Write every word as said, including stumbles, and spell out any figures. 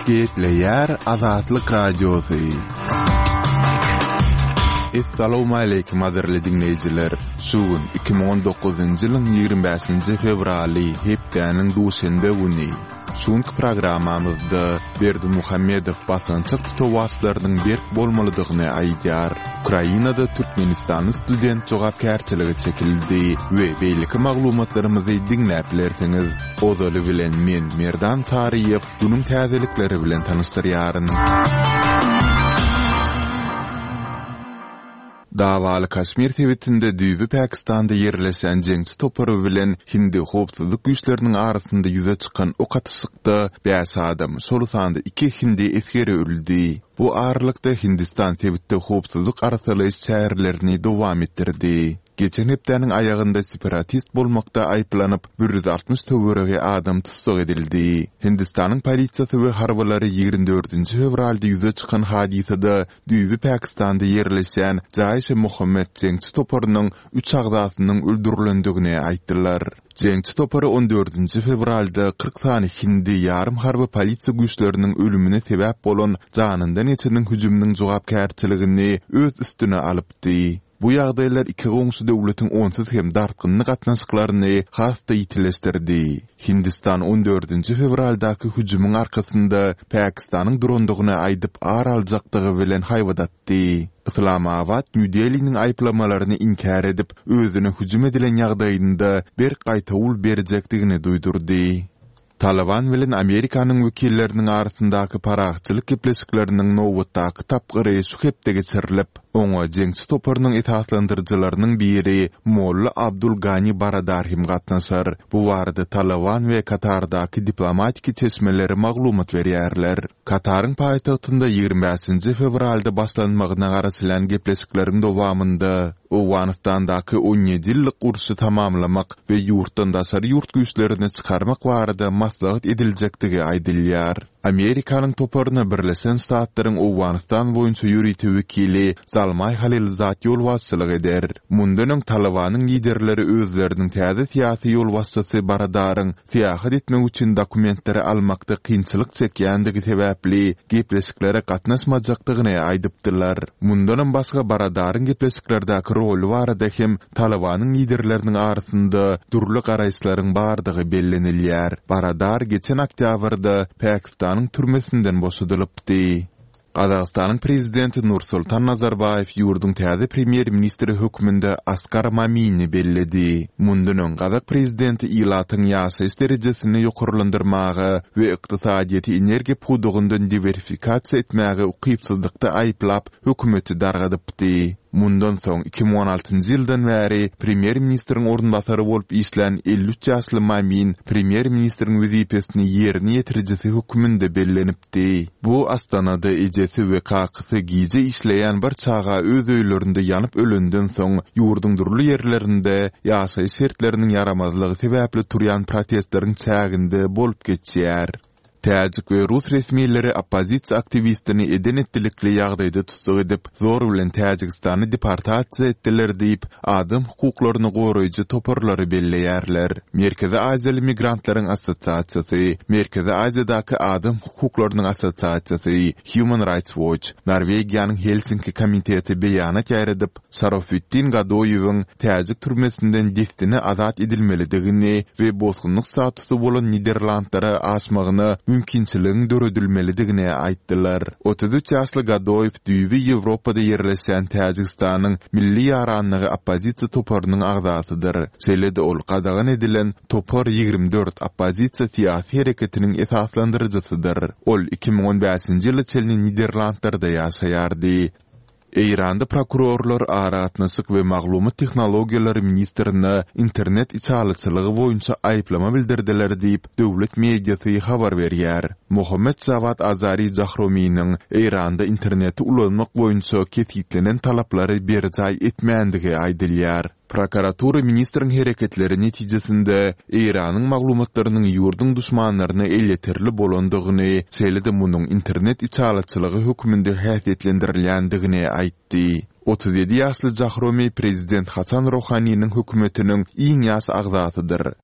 Gepleýär Azatlyk Radiosy. Essalawmaleýkim gadyrly diňleýjiler! Şu gün iki müň on dokuzynjy ýylyň ýigrimi bäşinji fewraly, hepdäniň duşenbe güni. Şu günki programmamyzda Berdimuhamedow basgançak tutawaçlarynyň berk bolmalydygyny aýdýar. Ukrainada türkmenistanly student jogapkärçilige çekildi we beýleki maglumatlarymyzy diňläp bilersiňiz. Ozaly bilen men Merdan Saryýew günüň täzelikleri bilen tanyşdyrýaryn. Dawaly Kaşmir sebitinde düýbi Pakistanda ýerleşen jeňçi topary bilen hindi howpsuzlyk güýçleriniň arasynda ýüze çykan ok atyşykda bäş adam, şol sanda iki hindi esgeri öldi. Bu aralykda Hindistan sebitde howpsuzlyk arassalaýyş çärelerini dowam etdirdi. Geçen hepdäniň aýagynda separatist bolmakda aýyplanyp, bir ýüz altmyş töweregi adam tussag edildi. Hindistanyň polisiýasy we harbylary ýigrimi dördünji fewralda ýüze çykan hadysada düýbi Pakistanda ýerleşýän Jaýş-e-Muhammet jeňçi toparynyň üç agzasynyň öldürilendigini aýtdylar. Jeňçi topary on dördünji fewralda kyrk sany hindi ýarym harby polisiýa güýçleriniň ölümine sebäp bolan janyndan geçeniň hüjüminiň jogapkärçiligini öz üstüne alypdy. Bu ýagdaýlar iki goňşy döwletiň onsuz hem dartgynly gatnaşyklaryny has-da ýitileşdirdi. Hindistan on dördünji fewraldaky hüjümiň arkasynda Pakistanyň durandygyny aýdyp ar aljakdygy bilen haýbat atdy. Yslamabat Nýu-Deliniň aýyplamalaryny inkär edip, özüne hüjüm edilen ýagdaýynda berk gaýtawul berjekdigini duýdurdy. Talyban bilen Amerikanyň wekilleriniň arasyndaky parahatçylyk gepleşikleriniň nobatdaky tapgyry şu hepde geçirilip, oňa jeňçi toparynyň esaslandyryjylarynyň biri Molla Abdul Gani Baradar hem gatnaşar. Bu barada Talyban we Katardaky diplomatiki çeşmeleri maglumat berýärler. Kataryň paýtagtynda ýigrimi bäşinji fewralda başlanmagyna garaşylýan gepleşikleriň dowamynda Owganystandaky on ýedi ýyllyk urşy tamamlamak we ýurtdan daşary ýurt güýçlerini çykarmak barada maslahat ediljekdigi aýdylýar. Amerikanyň toparyna Birleşen Ştatlaryň Owganystan boýunça ýörite wekili Zalmaý Halilzad ýolbaşçylyk eder. Mundan öň Talybanyň liderleri özleriniň täze syýasy ýolbaşçysy Baradaryň syýahat etmek üçin dokumentleri almakda kynçylyk çekýändigi sebäpli gepleşiklere gatnaşmajakdygyny aýdypdylar. Mundanam başga Baradaryň gepleşiklerdäki roly barada hem Talybanyň liderleriniň arasynda dürli garaýyşlaryň bardygy bellenilýär. Baradar geçen oktýabrda Pakistanyň türmesinden boşadylypdy. Gazagystanyň prezidenti Nursultan Nazarbaýew ýurduň täze premýer-ministri hökmünde Askar Mamini belledi. Mundan öň gazak prezidenti ilatyň ýaşaýyş derejesini ýokarlandyrmaga we ykdysadyýeti energiýa pudagyndan diwersifikasiýa etmäge ukypsyzlykda aýyplap, hökümeti dargadypdy. Mundan soň iki müň on altynjy ýyldan bäri premýer-ministriň orunbasary bolup işlän elli üç ýaşly Mamin premýer-ministriň wezipesini ýerine ýetirijisi hökmünde bellenipdi. Bu Astanada ejesi we kakasy gije işleýän bir çaga öz öýlerinde ýanyp ölenden soň ýurduň dürli ýerlerinde ýaşaýyş şertleriniň ýaramazlygy sebäpli turýan protestleriň çäginde bolup geçýär. Täjik we rus resmileri oppozisiýa aktiwistini eden-etdilikli ýagdaýda tussag edip, zor bilen Täjigistana deportasiýa etdiler diýip, adam hukuklaryny goraýjy toparlary belleýärler. Merkezi Aziýaly migrantlaryň assosiasiýasy, Merkezi Aziýadaky adam hukuklarynyň assosiasiýasy, Human Rights Watch, Norwegiýanyň Helsinki komiteti beýanat ýaýradyp, Şarofitdin Gadoýewiň täjik türmesinden dessine azat edilmelidigini we bosgunlyk statusy bolan Niderlandlara aşmagyna mümkinçiligiň döredilmelidigini aýtdylar. Otuz üç ýaşly Gadoýew düýbi Ýewropada ýerleşýän Täjigistanyň Milli ýaranlygy oppozisiýa toparynyň agzasydyr. Şeýle-de ol gadagan edilen Topar ýigrimi dört oppozisiýa syýasy hereketiniň esaslandyryjysydyr. Ol iki müň on bäşinji ýyla çenli Niderlandlarda ýaşaýardy. Eýranda prokurorlar aragatnaşyk we maglumat tehnologiýalary ministrine internet içalyçylygy boýunça aýyplama bildirdiler diýip, döwlet mediasy habar berýär. Mohammed Jawad Azari Jahrominiň Eýranda interneti ulanmak boýunça kesgitlenen talaplary berjaý etmändigi aýdylýar. Prokuratura ministriň hereketleri netijesinde Eýranyň maglumatlarynyň ýurduň duşmanlaryna elýeterli bolandygyny, şeýle-de munuň internet içalyçylygy hökmünde häsiýetlendirilýändigini aýtdy. Otuz ýedi ýaşly Jahromi prezident Hasan Rohaniniň hökümetiniň iň ýaş agzasydyr.